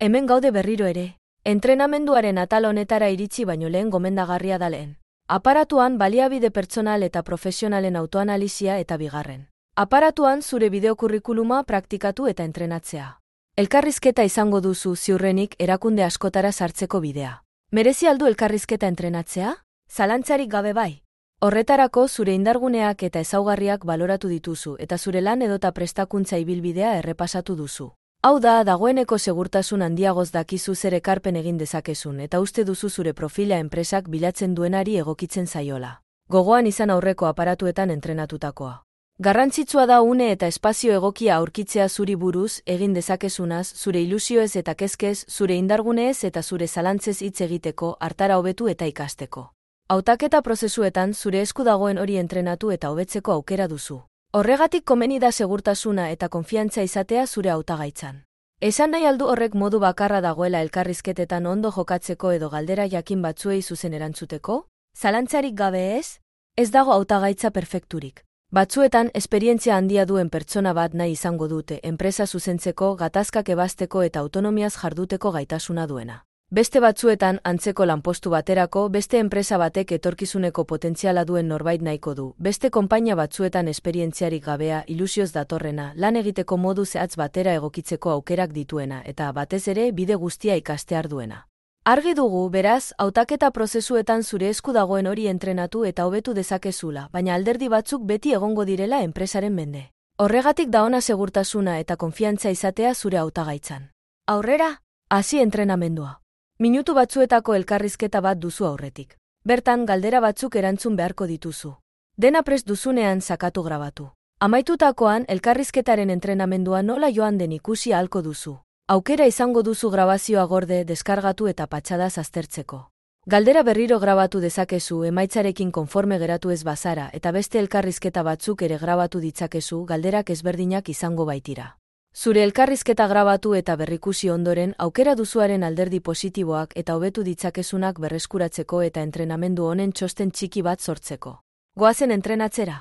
Hemen gaude berriro ere. Entrenamenduaren atal honetara iritsi baino lehen gomendagarria da lehen. Aparatuan baliabide pertsonal eta profesionalen autoanalizia eta bigarren. Aparatuan zure bideokurrikuluma praktikatu eta entrenatzea. Elkarrizketa izango duzu ziurrenik erakunde askotara sartzeko bidea. Merezi aldu elkarrizketa entrenatzea? Zalantzarik gabe bai. Horretarako zure indarguneak eta ezaugarriak baloratu dituzu eta zure lan edota prestakuntza ibilbidea errepasatu duzu. Hau da, dagoeneko segurtasun handiagoz dakizu zer ekarpen egin dezakezun eta uste duzu zure profila enpresak bilatzen duenari egokitzen zaiola. Gogoan izan aurreko aparatuetan entrenatutakoa. Garrantzitsua da une eta espazio egokia aurkitzea zuri buruz egin dezakezunaz, zure ilusioez eta kezkez, zure indarguneez eta zure zalantzez hitz egiteko, hartara hobetu eta ikasteko. Hautaketa prozesuetan zure esku dagoen hori entrenatu eta hobetzeko aukera duzu. Horregatik komeni da segurtasuna eta konfiantza izatea zure hautagaitzan. Esan nahi aldu horrek modu bakarra dagoela elkarrizketetan ondo jokatzeko edo galdera jakin batzuei zuzen erantzuteko? Zalantzarik gabe ez? Ez dago hautagaitza perfekturik. Batzuetan esperientzia handia duen pertsona bat nahi izango dute enpresa zuzentzeko, gatazkak ebazteko eta autonomiaz jarduteko gaitasuna duena. Beste batzuetan antzeko lanpostu baterako beste enpresa batek etorkizuneko potentziala duen norbait nahiko du. Beste konpainia batzuetan esperientziarik gabea, ilusioz datorrena, lan egiteko modu zehatz batera egokitzeko aukerak dituena eta batez ere bide guztia ikastear duena. Argi dugu, beraz, hautaketa prozesuetan zure esku dagoen hori entrenatu eta hobetu dezakezula, baina alderdi batzuk beti egongo direla enpresaren mende. Horregatik da ona segurtasuna eta konfiantza izatea zure hautagaitzan. Aurrera, hasi entrenamendua. Minutu batzuetako elkarrizketa bat duzu aurretik. Bertan galdera batzuk erantzun beharko dituzu. Dena prest duzunean sakatu grabatu. Amaitutakoan elkarrizketaren entrenamendua nola joan den ikusi ahalko duzu. Aukera izango duzu grabazioa gorde, deskargatu eta patxadaz aztertzeko. Galdera berriro grabatu dezakezu emaitzarekin konforme geratu ez bazara eta beste elkarrizketa batzuk ere grabatu ditzakezu galderak ezberdinak izango baitira. Zure elkarrizketa grabatu eta berrikusi ondoren aukera duzuaren alderdi positiboak eta hobetu ditzakezunak berreskuratzeko eta entrenamendu honen txosten txiki bat sortzeko. Goazen entrenatzera.